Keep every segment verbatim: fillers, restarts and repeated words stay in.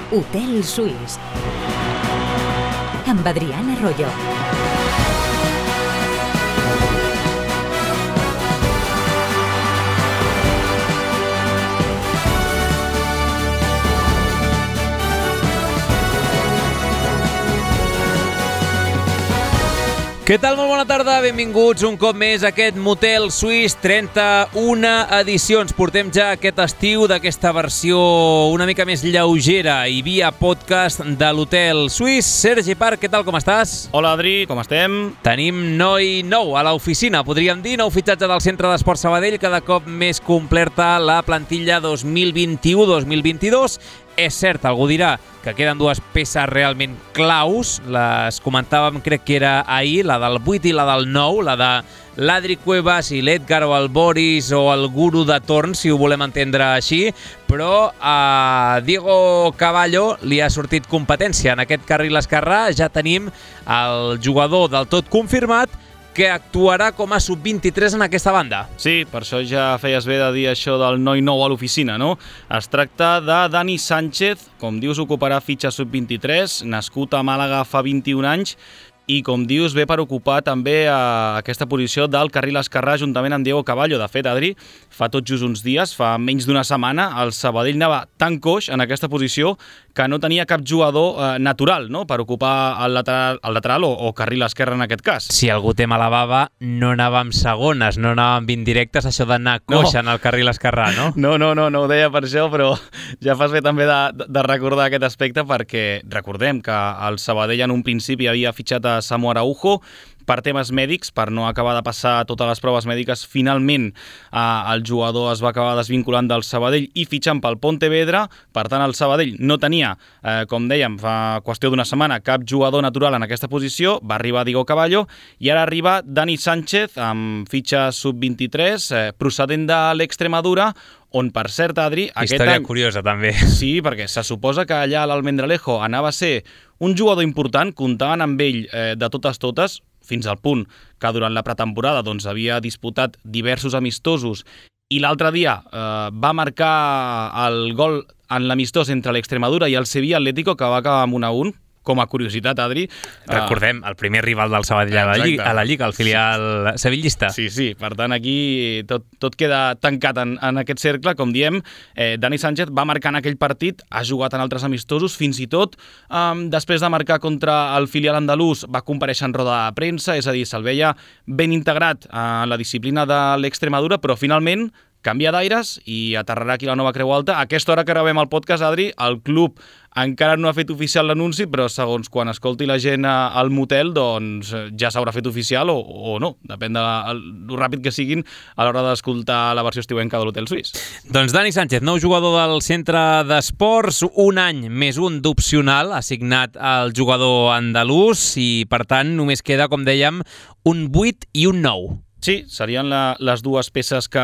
Hotel Suís amb Adrián Arroyo. Què tal? Molt bona tarda, benvinguts un cop més a aquest Motel Suís, trenta-una edicions. Portem ja aquest estiu d'aquesta versió una mica més lleugera i via podcast de l'Hotel Suís. Sergi Parc, què tal, com estàs? Hola, Adri, com estem? Tenim noi nou a l'oficina, podríem dir, nou fitxatge del Centre d'Esport Sabadell, cada cop més completa la plantilla dos mil vint-i-u dos mil vint-i-dos. És cert, algú dirà que queden dues peces realment claus, les comentàvem, crec que era ahir, la del vuit i la del nou, la de l'Adri Cuevas i l'Edgar o el Boris o el guru de torn, si ho volem entendre així, però a Diego Cavallo li ha sortit competència. En aquest carril esquerrà ja tenim el jugador del tot confirmat, que actuarà com a sub vint-i-tres en aquesta banda. Sí, per això ja feies bé de dir això del noi nou a l'oficina, no? Es tracta de Dani Sánchez, com dius, ocuparà fitxa sub vint-i-tres, nascut a Màlaga fa vint-i-un anys, i com dius, ve per ocupar també a aquesta posició del carril esquerrà juntament amb Diego Cavallo. De fet, Adri, fa tot just uns dies, fa menys d'una setmana, el Sabadell anava tan coix en aquesta posició que no tenia cap jugador eh, natural, no?, per ocupar el lateral, el lateral o, o carril esquerre en aquest cas. Si algú té mala bava, no anàvem segones, no anàvem indirectes, això d'anar coix no. en el carril esquerrà, no? No, no, no, no ho deia per això, però ja fas bé també de, de recordar aquest aspecte, perquè recordem que el Sabadell en un principi havia fitxat a Samu Araujo per temes mèdics, per no acabar de passar totes les proves mèdiques. Finalment eh, el jugador es va acabar desvinculant del Sabadell i fitxant pel Pontevedra. Per tant, el Sabadell no tenia, eh, com dèiem, fa qüestió d'una setmana, cap jugador natural en aquesta posició. Va arribar Diego Cavallo i ara arriba Dani Sánchez amb fitxa sub vint-i-tres, eh, procedent de l'Extremadura, on, per cert, Adri... Història any... curiosa, també. Sí, perquè se suposa que allà a l'Almendralejo anava a ser un jugador important, comptaven amb ell eh, de totes totes, fins al punt que durant la pretemporada doncs, havia disputat diversos amistosos i l'altre dia eh, va marcar el gol en l'amistós entre l'Extremadura i el Sevilla Atlético, que va acabar amb un a un. Com a curiositat, Adri... Recordem, el primer rival del Sabadell a la Lliga, a la Lliga, el filial sí. sevillista. Sí, sí, per tant, aquí tot, tot queda tancat en, en aquest cercle, com diem. Eh, Dani Sánchez va marcar en aquell partit, ha jugat en altres amistosos, fins i tot eh, després de marcar contra el filial andalús va comparèixer en roda de premsa, és a dir, se'l veia ben integrat en la disciplina de l'Extremadura, però finalment canvia d'aires i aterrarà aquí la Nova Creu Alta. A aquesta hora que gravem el podcast, Adri, el club encara no ha fet oficial l'anunci, però segons quan escolti la gent al motel, doncs ja s'haurà fet oficial o, o no. Depèn de lo ràpid que siguin a l'hora d'escoltar la versió estiuenca de l'Hotel Suís. Doncs Dani Sánchez, nou jugador del Centre d'Esports, un any més un d'opcional, assignat al jugador andalús i, per tant, només queda, com dèiem, un vuit i un nou. Sí, serien la, les dues peces que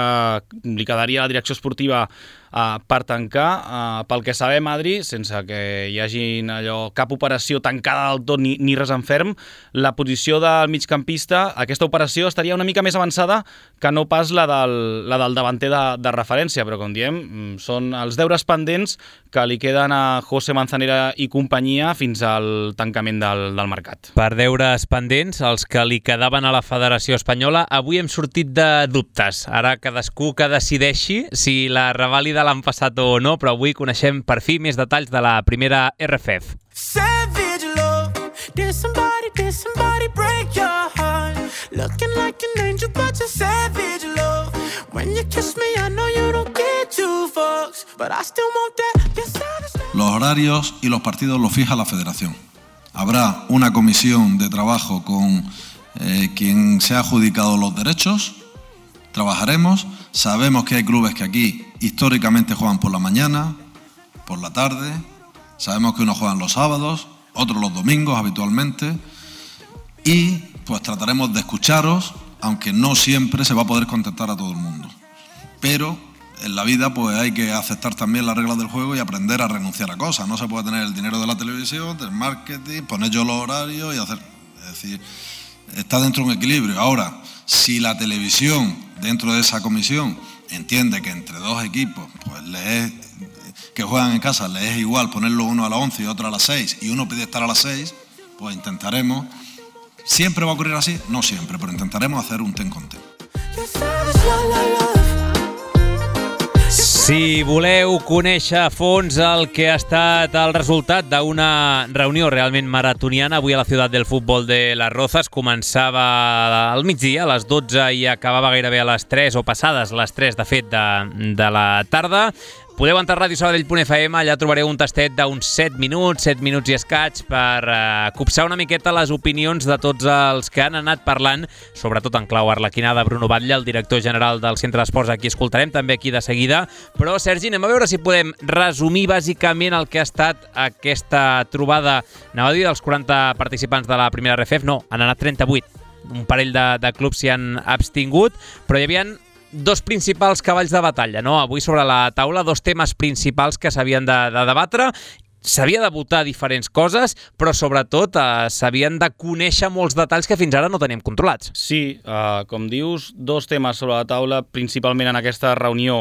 li quedaria a la direcció esportiva uh, per tancar. Uh, pel que sabem, Adri, sense que hi hagi allò, cap operació tancada del tot ni, ni res en ferm, la posició del migcampista, aquesta operació estaria una mica més avançada que no pas la del, la del davanter de, de referència, però com diem, són els deures pendents que li queden a José Manzanera i companyia fins al tancament del, del mercat. Per deures pendents, els que li quedaven a la Federació Espanyola, avui hem sortit de dubtes. Ara cadascú que decideixi si la revàlida l'han passat o no, però avui coneixem per fi més detalls de la primera R F F. Savage love, did somebody, did somebody break your heart? Looking like an angel, but you're savage love. When you kiss me, I know you don't get two fucks, but I still want that. Los horarios y los partidos los fija la Federación. Habrá una comisión de trabajo con eh, quien se ha adjudicado los derechos. Trabajaremos. Sabemos que hay clubes que aquí históricamente juegan por la mañana, por la tarde. Sabemos que unos juegan los sábados, otros los domingos habitualmente. Y pues trataremos de escucharos, aunque no siempre se va a poder contestar a todo el mundo. Pero en la vida pues hay que aceptar también las reglas del juego y aprender a renunciar a cosas. No se puede tener el dinero de la televisión, del marketing, poner yo los horarios y hacer... Es decir, está dentro de un equilibrio. Ahora, si la televisión, dentro de esa comisión, entiende que entre dos equipos pues le es que juegan en casa les es igual ponerlo uno a las once y otro a las seis y uno pide estar a las seis, pues intentaremos. ¿Siempre va a ocurrir así? No siempre, pero intentaremos hacer un ten con ten. Si voleu conèixer a fons el que ha estat el resultat d'una reunió realment maratoniana avui a la Ciutat del Futbol de Las Rozas, començava al migdia, a les dotze, i acabava gairebé a les tres, o passades les tres, de fet, de, de la tarda, podeu entrar a ràdio sabadell punt f m, allà trobareu un tastet d'uns set minuts, set minuts i escaig, per uh, copsar una miqueta les opinions de tots els que han anat parlant, sobretot en clau arlequinada. Bruno Batlle, el director general del Centre d'Esports, aquí escoltarem també aquí de seguida. Però, Sergi, anem a veure si podem resumir bàsicament el que ha estat aquesta trobada, anava a dir, dels quaranta participants de la primera R F F. No, han anat trenta-vuit. Un parell de, de clubs s'hi han abstingut, però hi havia dos principals cavalls de batalla, no? Avui sobre la taula, dos temes principals que s'havien de, de debatre. S'havia de votar diferents coses, però sobretot eh, s'havien de conèixer molts detalls que fins ara no teníem controlats. Sí, eh, com dius, dos temes sobre la taula, principalment en aquesta reunió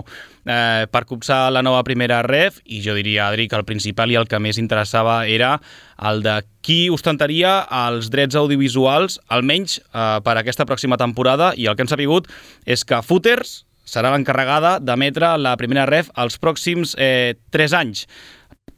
eh, per copsar la nova primera R E F, i jo diria, Adri, que el principal i el que més interessava era el de qui ostentaria els drets audiovisuals, almenys eh, per aquesta pròxima temporada, i el que hem sabut és que Footers serà l'encarregada d'emetre la primera R E F els pròxims eh, tres anys.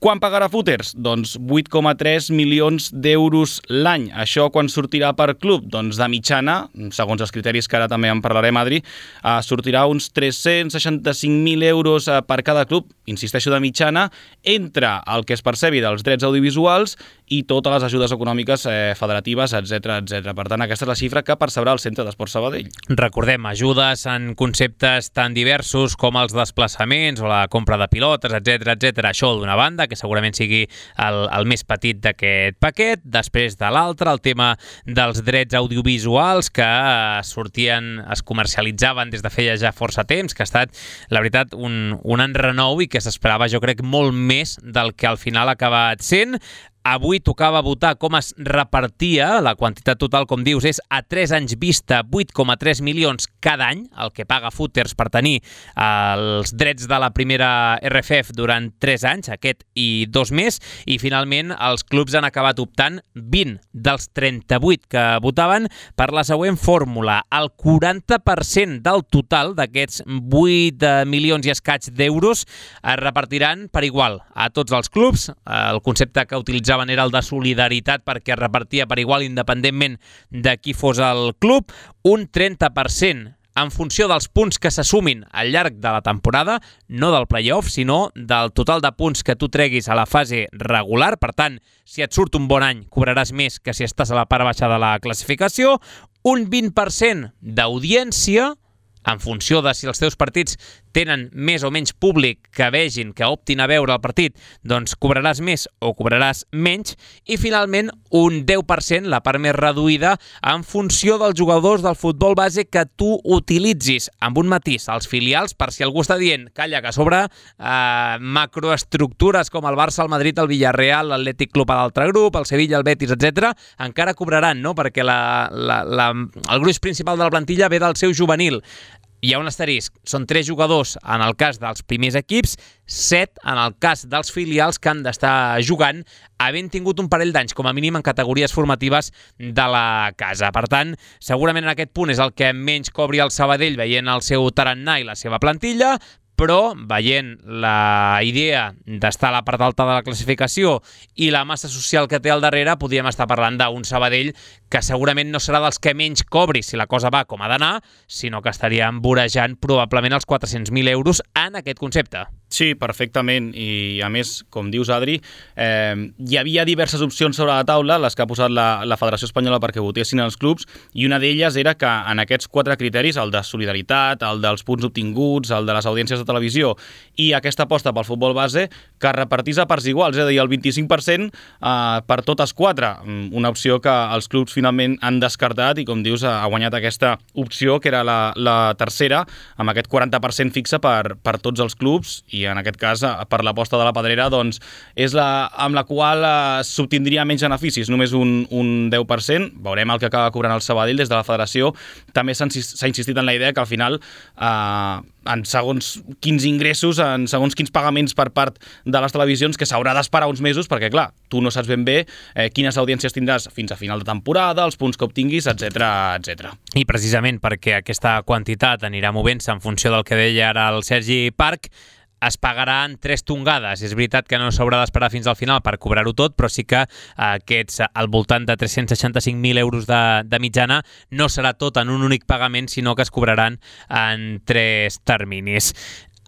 Quan pagarà Footers? Doncs vuit coma tres milions d'euros l'any. Això quan sortirà per club? Doncs de mitjana, segons els criteris que ara també en parlarem, Adri, eh, sortirà uns tres-cents seixanta-cinc mil euros eh, per cada club, insisteixo, de mitjana, entre el que es percebi dels drets audiovisuals i totes les ajudes econòmiques eh, federatives, etcètera, etcètera. Per tant, aquesta és la xifra que percebrà el Centre d'Esports Sabadell. Recordem, ajudes en conceptes tan diversos com els desplaçaments o la compra de pilotes, etcètera, etcètera. Això d'una banda, que segurament sigui el, el més petit d'aquest paquet. Després de l'altre, el tema dels drets audiovisuals que sortien, es comercialitzaven des de feia ja força temps, que ha estat, la veritat, un, un enrenou i que s'esperava, jo crec, molt més del que al final ha acabat sent. Avui tocava votar com es repartia, la quantitat total, com dius, és a tres anys vista vuit coma tres milions cada any, el que paga Footers per tenir els drets de la primera R F F durant tres anys, aquest i dos més, i finalment els clubs han acabat optant vint dels trenta-vuit que votaven per la següent fórmula. El quaranta per cent del total d'aquests vuit milions i escaig d'euros es repartiran per igual a tots els clubs. El concepte que utilitzaven era el de solidaritat, perquè es repartia per igual independentment de qui fos el club. Un trenta per cent en funció dels punts que s'assumin al llarg de la temporada, no del play-off, sinó del total de punts que tu treguis a la fase regular. Per tant, si et surt un bon any, cobraràs més que si estàs a la part baixa de la classificació. Un vint per cent d'audiència, en funció de si els teus partits tenen més o menys públic que vegin, que optin a veure el partit, doncs cobraràs més o cobraràs menys. I finalment un deu per cent, la part més reduïda, en funció dels jugadors del futbol base que tu utilitzis, amb un matís, els filials, per si algú està dient, calla, que a sobre eh, macroestructures com el Barça, el Madrid, el Villarreal, l'Atlètic Club a l'altre grup, el Sevilla, el Betis, etcètera, encara cobraran, no? Perquè la, la, la, el gruix principal de la plantilla ve del seu juvenil. Hi ha un asterisc, són tres jugadors en el cas dels primers equips, set en el cas dels filials que han d'estar jugant, havent tingut un parell d'anys, com a mínim, en categories formatives de la casa. Per tant, segurament en aquest punt és el que menys cobri el Sabadell veient el seu tarannà i la seva plantilla, però veient la idea d'estar a la part alta de la classificació i la massa social que té al darrere, podríem estar parlant d'un Sabadell que segurament no serà dels que menys cobri si la cosa va com ha d'anar, sinó que estaríem vorejant probablement els quatre-cents mil euros en aquest concepte. Sí, perfectament, i a més, com dius, Adri, eh, hi havia diverses opcions sobre la taula, les que ha posat la, la Federació Espanyola perquè votessin els clubs, i una d'elles era que en aquests quatre criteris, el de solidaritat, el dels punts obtinguts, el de les audiències de televisió i aquesta aposta pel futbol base, que es repartís a parts iguals, és a dir, el vint-i-cinc per cent eh, per totes quatre, una opció que els clubs finalment han descartat i, com dius, ha guanyat aquesta opció, que era la, la tercera, amb aquest quaranta per cent fixe per, per tots els clubs, i en aquest cas, per l'aposta de la Pedrera, doncs, és la amb la qual eh, s'obtindria menys beneficis, només un, un deu per cent. Veurem el que acaba cobrant el Sabadell. Des de la Federació també s'ha insistit en la idea que al final eh, en segons quins ingressos, en segons quins pagaments per part de les televisions, que s'haurà d'esperar uns mesos, perquè, clar, tu no saps ben bé eh, quines audiències tindràs fins a final de temporada, els punts que obtinguis, etcètera, etcètera. I precisament perquè aquesta quantitat anirà movent-se en funció del que deia ara el Sergi Parc, es pagaran tres tongades. És veritat que no s'haurà d'esperar fins al final per cobrar-ho tot, però sí que aquests al voltant de tres-cents seixanta-cinc mil euros de, de mitjana no serà tot en un únic pagament, sinó que es cobraran en tres terminis.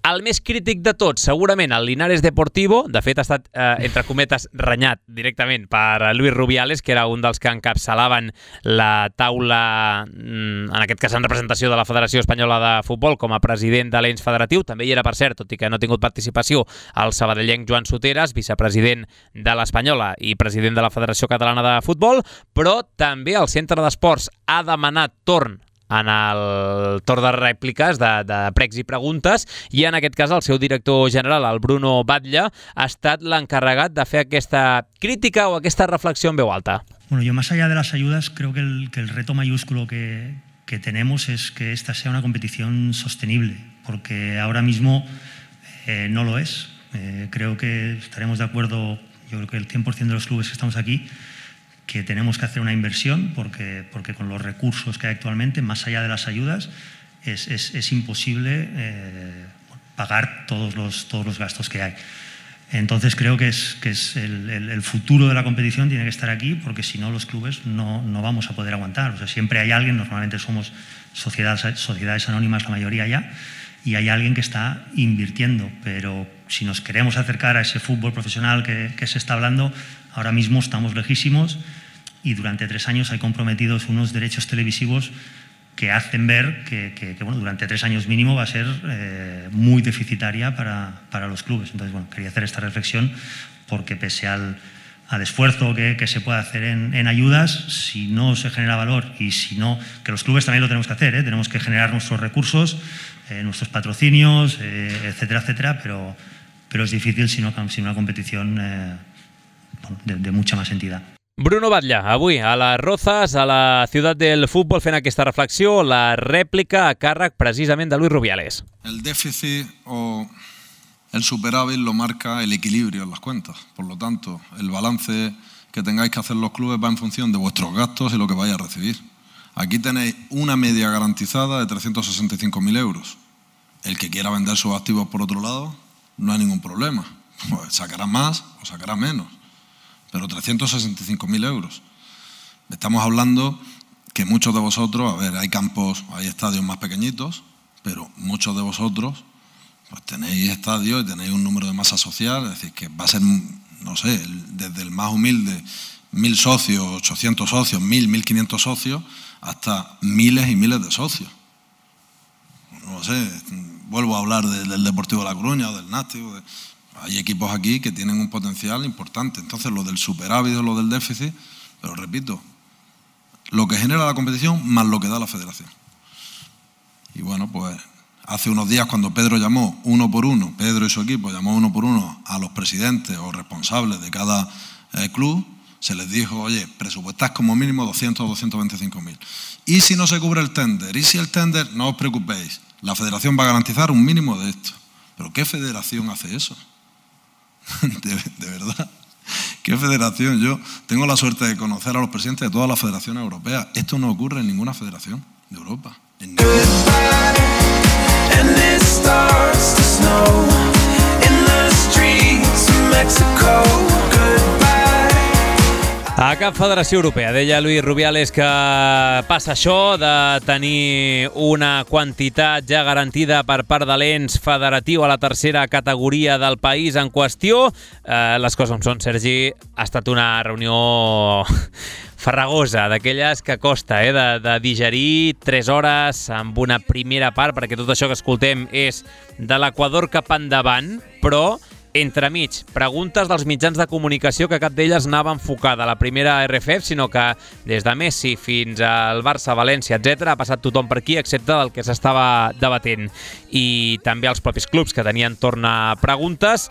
El més crític de tots, segurament, el Linares Deportivo. De fet, ha estat, eh, entre cometes, renyat directament per Luis Rubiales, que era un dels que encapçalaven la taula, en aquest cas en representació de la Federació Espanyola de Futbol, com a president de l'ens federatiu. També hi era, per cert, tot i que no ha tingut participació, el sabadellenc Joan Soteras, vicepresident de l'Espanyola i president de la Federació Catalana de Futbol, però també el Centre d'Esports ha demanat torn en el torn de rèpliques, de, de pregs i preguntes, i en aquest cas el seu director general, el Bruno Batlle, ha estat l'encarregat de fer aquesta crítica o aquesta reflexió en veu alta. Bueno, yo más allá de las ayudas, creo que el, que el reto mayúsculo que, que tenemos es que esta sea una competición sostenible, porque ahora mismo eh, no lo es. Eh, creo que estaremos de acuerdo, yo creo que el cien por ciento de los clubes que estamos aquí, que tenemos que hacer una inversión porque, porque con los recursos que hay actualmente, más allá de las ayudas, es, es, es imposible eh, pagar todos los, todos los gastos que hay. Entonces creo que, es, que es el, el, el futuro de la competición tiene que estar aquí, porque si no los clubes no, no vamos a poder aguantar. O sea, siempre hay alguien, normalmente somos sociedades, sociedades anónimas la mayoría ya, y hay alguien que está invirtiendo, pero si nos queremos acercar a ese fútbol profesional que, que se está hablando, ahora mismo estamos lejísimos y durante tres años hay comprometidos unos derechos televisivos que hacen ver que, que, que bueno, durante tres años mínimo va a ser eh, muy deficitaria para, para los clubes. Entonces, bueno, quería hacer esta reflexión porque pese al, al esfuerzo que, que se puede hacer en, en ayudas, si no se genera valor y si no, que los clubes también lo tenemos que hacer, ¿eh? Tenemos que generar nuestros recursos, eh, nuestros patrocinios, eh, etcétera, etcétera, pero, pero es difícil si no, si una competición eh, bueno, de, de mucha más entidad. Bruno Batlle, avui a les Rozas, a la ciutat del futbol, fent aquesta reflexió, la rèplica a càrrec precisament de Luis Rubiales. El déficit o el superávit lo marca el equilibrio en las cuentas. Por lo tanto, el balance que tengáis que hacer los clubes va en función de vuestros gastos y lo que vais a recibir. Aquí tenéis una media garantizada de trescientos sesenta y cinco mil euros. El que quiera vender sus activos por otro lado, no hay ningún problema. Pues sacará más o sacará menos. Pero trescientos sesenta y cinco mil euros. Estamos hablando que muchos de vosotros, a ver, hay campos, hay estadios más pequeñitos, pero muchos de vosotros pues tenéis estadios y tenéis un número de masa social, es decir, que va a ser, no sé, desde el más humilde, mil socios, ochocientos socios, mil, mil quinientos socios, hasta miles y miles de socios. No sé, vuelvo a hablar de, del Deportivo de La Coruña o del Nástico. De, hay equipos aquí que tienen un potencial importante. Entonces, lo del superávit o lo del déficit, pero repito, lo que genera la competición más lo que da la federación. Y bueno, pues hace unos días cuando Pedro llamó uno por uno, Pedro y su equipo llamó uno por uno a los presidentes o responsables de cada eh, club, se les dijo, oye, presupuestad como mínimo doscientos, doscientos veinticinco mil. Y si no se cubre el tender, y si el tender, no os preocupéis, la federación va a garantizar un mínimo de esto. ¿Pero qué federación hace eso? de, de verdad, ¿qué federación? Yo tengo la suerte de conocer a los presidentes de todas las federaciones europeas. Esto no ocurre en ninguna federación de Europa. En A cap federació europea, deia Luis Rubiales, que passa això de tenir una quantitat ja garantida per part de l'ens federatiu a la tercera categoria del país en qüestió. Eh, les coses com són, Sergi, ha estat una reunió farragosa, d'aquelles que costa eh, de, de digerir tres hores amb una primera part, perquè tot això que escoltem és de l'Equador cap endavant, però entremig, preguntes dels mitjans de comunicació que cap d'elles anava enfocada a la primera R F F, sinó que des de Messi fins al Barça, València, etcètera, ha passat tothom per aquí, excepte del que s'estava debatent. I també els propis clubs que tenien torn a preguntes.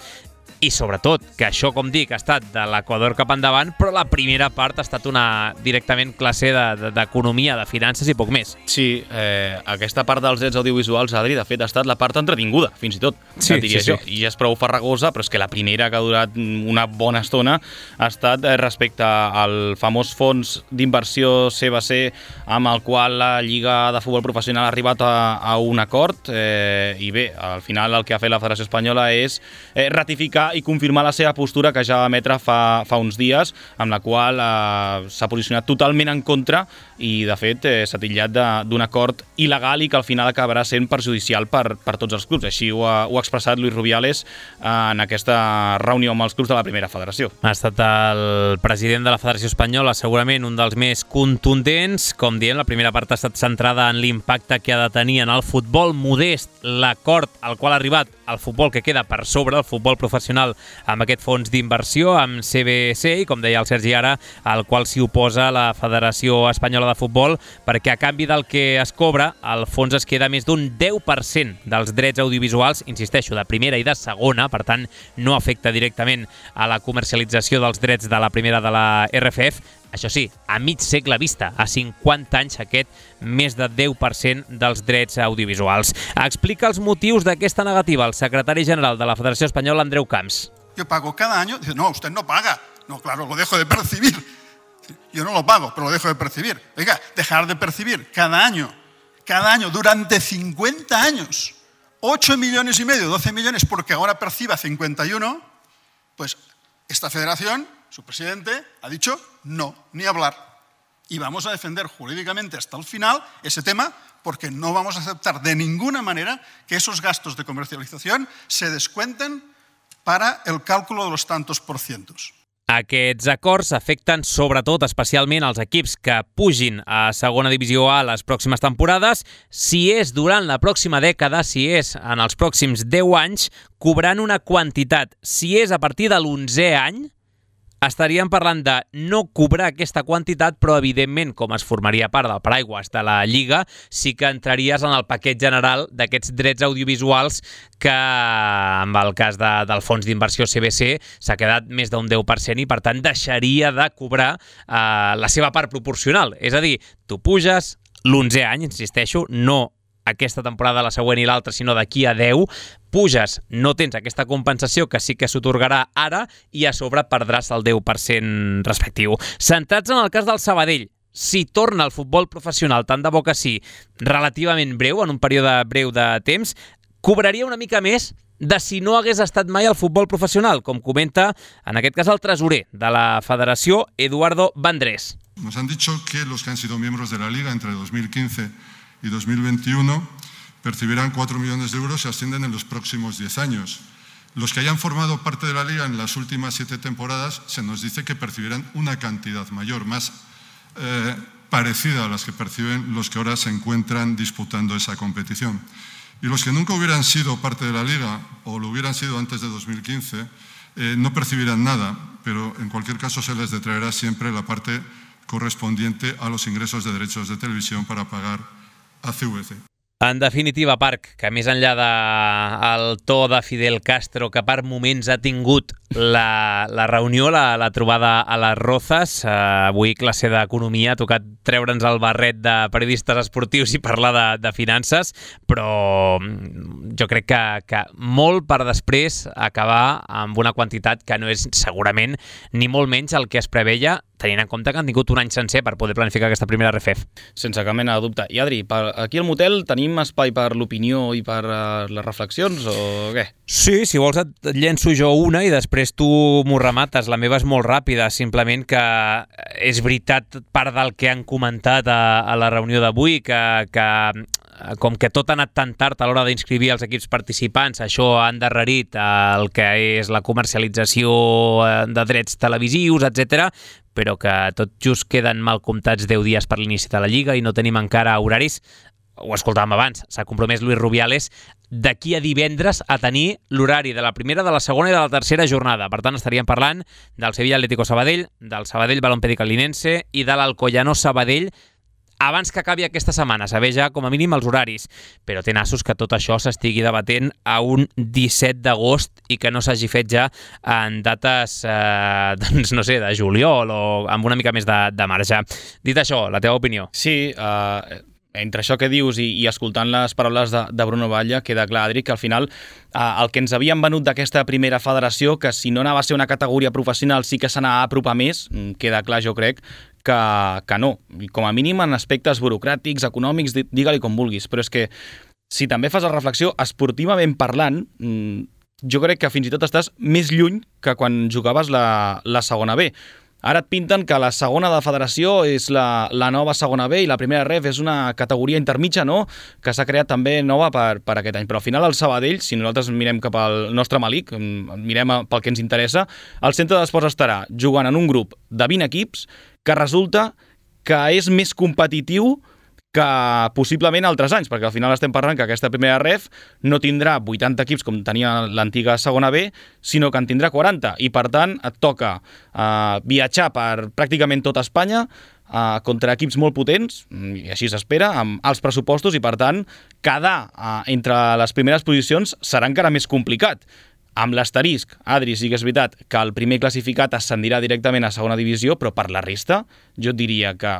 i sobretot que això, com dic, ha estat de l'Equador cap endavant, però la primera part ha estat una directament classe d'economia, de, de, de finances i poc més. Sí, eh, aquesta part dels drets audiovisuals, Adri, de fet, ha estat la part entretinguda, fins i tot, sí, diria sí, jo. sí. I ja és prou farragosa, però és que la primera, que ha durat una bona estona, ha estat eh, respecte al famós fons d'inversió C B C, amb el qual la Lliga de Futbol Professional ha arribat a, a un acord, eh, i bé, al final el que ha fet la Federació Espanyola és eh, ratificar i confirmar la seva postura que ja va emetre fa, fa uns dies, amb la qual eh, s'ha posicionat totalment en contra i, de fet, eh, s'ha titllat d'un acord il·legal i que al final acabarà sent perjudicial per, per tots els clubs. Així ho ha, ho ha expressat Luis Rubiales eh, en aquesta reunió amb els clubs de la primera federació. Ha estat el president de la Federació Espanyola segurament un dels més contundents. Com diem, la primera part ha estat centrada en l'impacte que ha de tenir en el futbol modest, l'acord al qual ha arribat el futbol que queda per sobre, el futbol professional, amb aquest fons d'inversió, amb C B C, i com deia el Sergi ara, al qual s'hi oposa la Federació Espanyola de Futbol, perquè a canvi del que es cobra, el fons es queda més d'un deu per cent dels drets audiovisuals, insisteixo, de primera i de segona, per tant, no afecta directament a la comercialització dels drets de la primera de la R F F. Això sí, a mig segle vista, a cinquanta anys, aquest més de deu per cent dels drets audiovisuals. Explica els motius d'aquesta negativa el secretari general de la Federació Espanyola, Andreu Camps. Yo pago cada año. Dice, no, usted no paga. No, claro, lo dejo de percibir. Yo no lo pago, pero lo dejo de percibir. Oiga, dejar de percibir cada año, cada año, durante cincuenta años, ocho millones y medio, doce millones, porque ahora perciba cincuenta y uno, pues esta federación, su presidente, ha dicho no, ni hablar. Y vamos a defender jurídicamente hasta el final ese tema, porque no vamos a aceptar de ninguna manera que esos gastos de comercialización se descuenten para el cálculo de los tantos por cientos. Aquests acords afecten sobretot, especialment, els equips que pugin a segona divisió A les pròximes temporades. Si és durant la pròxima dècada, si és en els pròxims deu anys, cobrant una quantitat. Si és a partir de l'onzè any, estaríem parlant de no cobrar aquesta quantitat, però evidentment, com es formaria part del paraigües de la Lliga, sí que entraries en el paquet general d'aquests drets audiovisuals que, en el cas de, del fons d'inversió C B C, s'ha quedat més d'un deu per cent i, per tant, deixaria de cobrar eh, la seva part proporcional. És a dir, tu puges l'onzè any, insisteixo, no aquesta temporada, la següent i l'altra, sinó d'aquí a deu, puges, no tens aquesta compensació que sí que s'otorgarà ara i a sobre perdràs el deu per cent respectiu. Centrats en el cas del Sabadell, si torna al futbol professional, tant de bo que sí, relativament breu, en un període breu de temps, cobraria una mica més de si no hagués estat mai al futbol professional, com comenta, en aquest cas, el tresorer de la Federació, Eduardo Vandrés. Nos han dicho que los que han sido miembros de la Liga entre dos mil quince y dos mil veintiuno percibirán cuatro millones de euros y ascienden en los próximos diez años. Los que hayan formado parte de la Liga en las últimas siete temporadas se nos dice que percibirán una cantidad mayor, más eh, parecida a las que perciben los que ahora se encuentran disputando esa competición. Y los que nunca hubieran sido parte de la Liga o lo hubieran sido antes de dos mil quince eh, no percibirán nada, pero en cualquier caso se les detraerá siempre la parte correspondiente a los ingresos de derechos de televisión para pagar a C V C. En definitiva, Parc, que més enllà del to de Fidel Castro que per moments ha tingut la, la reunió, la, la trobada a les Rozas, eh, avui classe d'economia, ha tocat treure'ns el barret de periodistes esportius i parlar de, de finances, però jo crec que, que molt per després acabar amb una quantitat que no és segurament ni molt menys el que es preveia, tenint en compte que han tingut un any sencer per poder planificar aquesta primera R F F. Sense cap mena de dubte. I Adri, per, aquí al motel tenim espai per l'opinió i per uh, les reflexions o què? Sí, si vols et llenço jo una i després tu m'ho remates. La meva és molt ràpida, simplement que és veritat part del que han comentat a, a la reunió d'avui, que, que com que tot ha anat tan tard a l'hora d'inscriure els equips participants, això ha endarrerit el que és la comercialització de drets televisius, etcètera, però que tot just queden mal comptats deu dies per l'inici de la Lliga i no tenim encara horaris. Ho escoltàvem abans, s'ha compromès Luis Rubiales d'aquí a divendres a tenir l'horari de la primera, de la segona i de la tercera jornada. Per tant, estaríem parlant del Sevilla Atlético Sabadell, del Sabadell Balompié Calinense i de l'Alcoyano Sabadell abans que acabi aquesta setmana, saber ja com a mínim els horaris, però té nassos que tot això s'estigui debatent a un disset d'agost i que no s'hagi fet ja en dates, eh, doncs no sé, de juliol o amb una mica més de, de marge. Dit això, la teva opinió? Sí, eh... entre això que dius i, i escoltant les paraules de, de Bruno Batlle, queda clar, Adri, que al final eh, el que ens havien venut d'aquesta primera federació, que si no anava a ser una categoria professional sí que s'anava a apropar més, queda clar, jo crec, que, que no. Com a mínim en aspectes burocràtics, econòmics, digue-li com vulguis. Però és que si també fas la reflexió, esportivament parlant, jo crec que fins i tot estàs més lluny que quan jugaves la, la segona B. Ara et pinten que la segona de federació és la, la nova segona B i la primera ref és una categoria intermitja, no?, que s'ha creat també nova per, per aquest any. Però al final el Sabadell, si nosaltres mirem cap al nostre Malic, mirem pel que ens interessa, el centre d'esports estarà jugant en un grup de vint equips que resulta que és més competitiu que possiblement altres anys, perquè al final estem parlant que aquesta primera ref no tindrà vuitanta equips com tenia l'antiga segona B, sinó que en tindrà quaranta, i per tant et toca uh, viatjar per pràcticament tota Espanya uh, contra equips molt potents, i així s'espera, amb alts pressupostos, i per tant quedar uh, entre les primeres posicions serà encara més complicat. Amb l'asterisc, Adri, sí que és veritat que el primer classificat ascendirà directament a segona divisió, però per la resta jo et diria que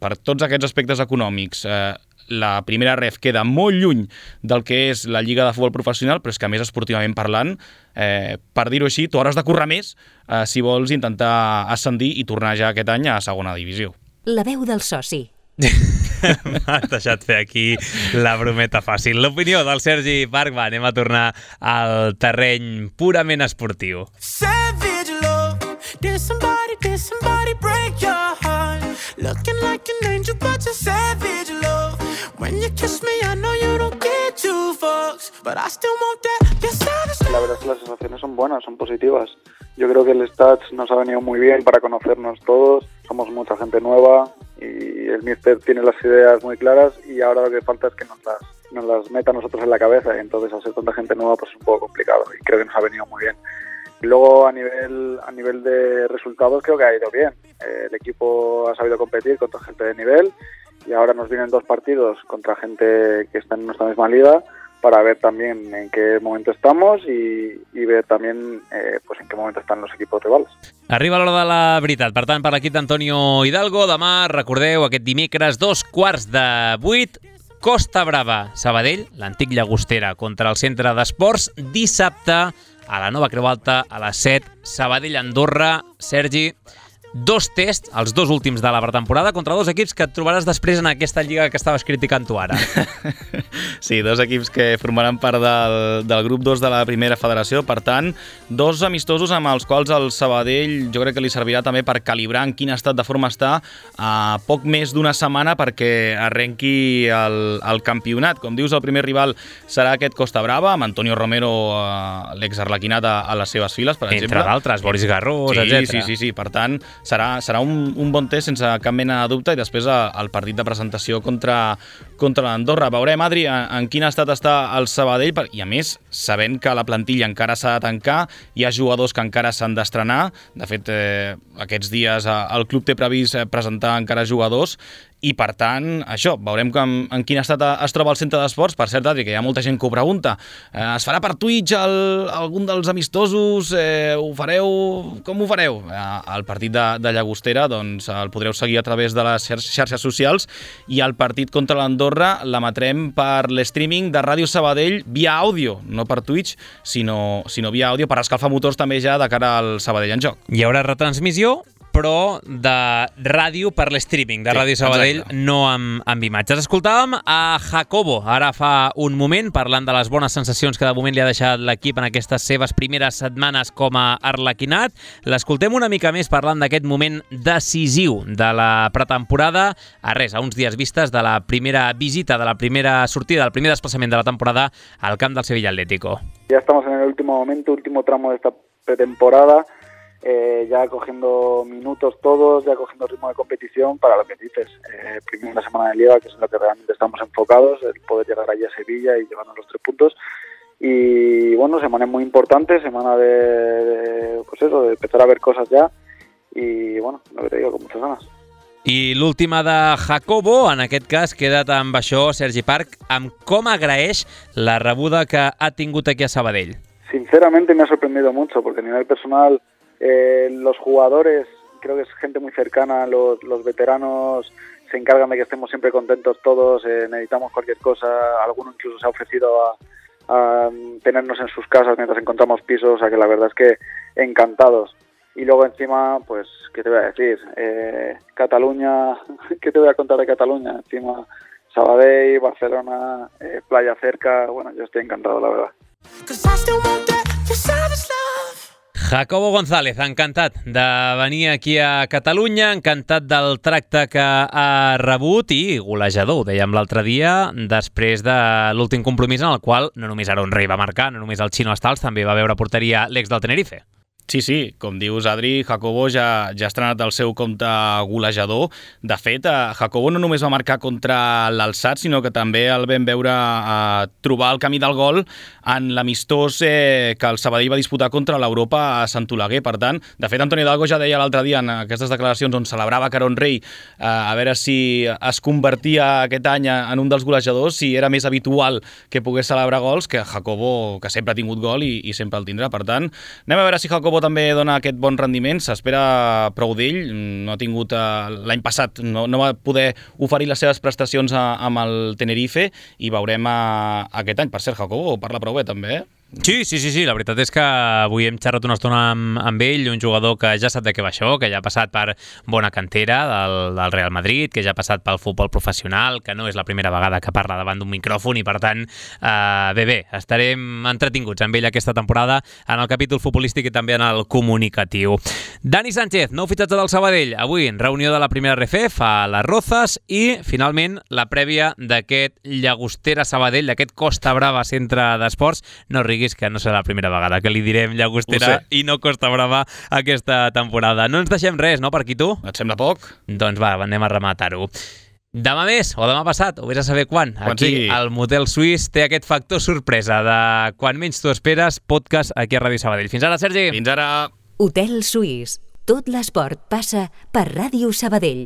per tots aquests aspectes econòmics, eh, la primera ref queda molt lluny del que és la Lliga de Futbol Professional, però és que a més esportivament parlant, eh, per dir-ho així, tu hauràs de currar més eh, si vols intentar ascendir i tornar ja aquest any a segona divisió. La veu del soci. M'has deixat fer aquí la brometa fàcil. L'opinió del Sergi Parc. Va, anem a tornar al terreny purament esportiu. Savage love, did somebody, did somebody break your heart? Looking like an angel, but you're savage love. When you kiss me, I know you don't get two fucks, but I still want that. You're savage love. La verdad es que las sensaciones son buenas, son positivas. Yo creo que el Stats nos ha venido muy bien para conocernos todos. Somos mucha gente nueva y el míster tiene las ideas muy claras, y ahora lo que falta es que nos las, nos las meta a nosotros en la cabeza, y entonces al ser tanta gente nueva pues es un poco complicado, y creo que nos ha venido muy bien. Y luego a nivel a nivel de resultados creo que ha ido bien. Eh, el equipo ha sabido competir contra gente de nivel, y ahora nos vienen dos partidos contra gente que está en nuestra misma liga para ver también en qué momento estamos y, y ver también eh, pues en qué momento están los equipos rivals. Arriba l'hora de la veritat. Per tant, per l'equip d'Antonio Hidalgo, demà, recordeu, aquest dimecres, dos quarts de vuit, Costa Brava, Sabadell, l'antic Llagostera, contra el Centre d'Esports, dissabte, a la Nova Creu Alta, a les set, Sabadell-Andorra. Sergi, dos tests, els dos últims de la pretemporada, contra dos equips que et trobaràs després en aquesta lliga que estaves criticant tu ara. Sí, dos equips que formaran part del, del grup dos de la primera federació. Per tant, dos amistosos amb els quals el Sabadell jo crec que li servirà també per calibrar en quin estat de forma està a poc més d'una setmana perquè arrenqui el, el campionat. Com dius, el primer rival serà aquest Costa Brava, amb Antonio Romero, eh, l'ex-arlequinat, a, a les seves files, per exemple. Entre d'altres, Boris Garrós, sí, etcètera. Sí, sí, sí. Per tant, serà, serà un, un bon test sense cap mena de dubte, i després el partit de presentació contra, contra l'Andorra. Veurem, Adri, en, en quin estat està el Sabadell, i a més, sabent que la plantilla encara s'ha de tancar, hi ha jugadors que encara s'han d'estrenar. De fet, eh, aquests dies eh, el club té previst presentar encara jugadors, i per tant, això, veurem com, en quin estat es troba el centre d'esports. Per cert, Adri, que hi ha molta gent que ho pregunta, eh, es farà per Twitch el, algun dels amistosos? Eh, ho fareu? Com ho fareu? Eh, el partit de, de Llagostera doncs, el podreu seguir a través de les xarxes socials, i el partit contra l'Andorra l'emetrem per l'streaming de Ràdio Sabadell via àudio, no per Twitch, sinó, sinó via àudio, per escalfar motors també ja de cara al Sabadell en joc. Hi haurà retransmissió, però de ràdio per l'streaming de Ràdio Sabadell, exacte, no amb, amb imatges. Escoltàvem a Jacobo ara fa un moment, parlant de les bones sensacions que de moment li ha deixat l'equip en aquestes seves primeres setmanes com a arlequinat. L'escoltem una mica més parlant d'aquest moment decisiu de la pretemporada, a res, a uns dies vistes de la primera visita, de la primera sortida, del primer desplaçament de la temporada al camp del Sevilla Atlético. Ya estamos en el último momento, último tramo de esta pretemporada. Eh, ya cogiendo minutos todos, ya cogiendo ritmo de competición para lo que dices, eh, primera semana de Liga, que es en lo que realmente estamos enfocados, el poder llegar allí a Sevilla y llevarnos los tres puntos. Y bueno, semana muy importante, semana de, de pues eso, de empezar a ver cosas ya, y bueno, lo que te digo, con muchas ganas. I l'última de Jacobo, en aquest cas, queda't amb això, Sergi Parc, amb com agraeix la rebuda que ha tingut aquí a Sabadell. Sinceramente me ha sorprendido mucho, porque a nivel personal eh, los jugadores, creo que es gente muy cercana, los, los veteranos se encargan de que estemos siempre contentos todos, eh, necesitamos cualquier cosa, alguno incluso se ha ofrecido a, a tenernos en sus casas mientras encontramos pisos, o sea que la verdad es que encantados. Y luego encima, pues, ¿qué te voy a decir? Eh, Cataluña, ¿qué te voy a contar de Cataluña? Encima Sabadell, Barcelona, eh, playa cerca, bueno, yo estoy encantado, la verdad. Jacobo González, encantat de venir aquí a Catalunya, encantat del tracte que ha rebut i golejador, ho dèiem l'altre dia, després de l'últim compromís en el qual no només Aaron Rey va marcar, no només el Chino Stals, també va veure porteria l'ex del Tenerife. Sí, sí, com dius, Adri, Jacobo ja, ja ha estrenat el seu compte golejador. De fet, Jacobo no només va marcar contra l'Alçat, sinó que també el vam veure eh, trobar el camí del gol en l'amistós eh, que el Sabadell va disputar contra l'Europa a Sant Oleguer. Per tant, de fet, Antoni Hidalgo ja deia l'altre dia en aquestes declaracions on celebrava que Aaron Rey eh, a veure si es convertia aquest any en un dels golejadors, si era més habitual que pogués celebrar gols que Jacobo, que sempre ha tingut gol i, i sempre el tindrà. Per tant, anem a veure si Jacobo també dona aquest bon rendiment, s'espera prou d'ell, no ha tingut eh, l'any passat, no, no va poder oferir les seves prestacions a, amb el Tenerife i veurem a, aquest any. Per cert, Jacobo parla prou bé també, eh? Sí, sí, sí, sí, la veritat és que avui hem xerrat una estona amb, amb ell, un jugador que ja sap de què va això, que ja ha passat per bona cantera del, del Real Madrid, que ja ha passat pel futbol professional, que no és la primera vegada que parla davant d'un micròfon i, per tant, eh, bé, bé, estarem entretinguts amb ell aquesta temporada en el capítol futbolístic i també en el comunicatiu. Dani Sánchez, nou fitxatge del Sabadell, avui en reunió de la primera R F F a les Rozas i, finalment, la prèvia d'aquest Llagostera Sabadell, d'aquest Costa Brava Centre d'Esports. No riguis, que no serà la primera vegada que li direm Llagostera i no Costa Brava aquesta temporada. No ens deixem res, no, per aquí, tu? Et sembla poc? Doncs va, anem a rematar-ho. Demà més, o demà passat, o vés a saber quan. Quan aquí, sigui. el Motel Suís té aquest factor sorpresa de quan menys tu esperes, podcast aquí a Ràdio Sabadell. Fins ara, Sergi! Fins ara! Hotel Suís. Tot l'esport passa per Ràdio Sabadell.